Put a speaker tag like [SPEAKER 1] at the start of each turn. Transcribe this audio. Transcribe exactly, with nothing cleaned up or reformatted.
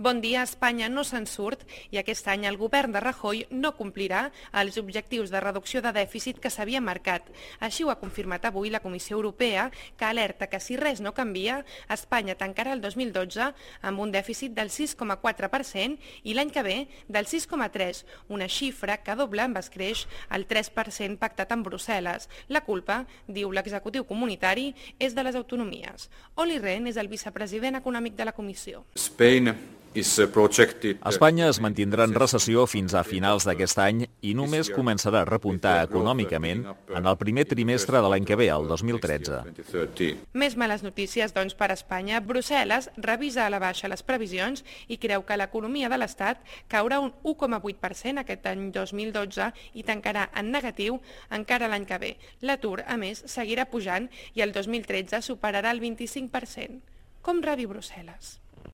[SPEAKER 1] Bon dia, Espanya no se'n surt i aquest any el govern de Rajoy no complirà els objectius de reducció de dèficit que s'havia marcat. Així ho ha confirmat avui la Comissió Europea, que alerta que si res no canvia, Espanya tancarà el dos mil dotze amb un dèficit del sis coma quatre per cent i l'any que ve del sis coma tres, una xifra que dobla amb escreix el tres per cent pactat amb Brussel·les. La culpa, diu l'executiu comunitari, és de les autonomies. Olli Rehn és el vicepresident econòmic de la Comissió.
[SPEAKER 2] Spain
[SPEAKER 3] Espanya es mantindrà en recessió fins a finals d'aquest any i només començarà a repuntar econòmicament en el primer trimestre de l'any que ve, el dos mil tretze.
[SPEAKER 1] Més males notícies, doncs, per Espanya. Brussel·les revisa a la baixa les previsions i creu que l'economia de l'Estat caurà un u coma vuit per cent aquest any dos mil dotze i tancarà en negatiu encara l'any que ve. L'atur, a més, seguirà pujant i el dos mil tretze superarà el vint-i-cinc per cent. Com rebi Brussel·les?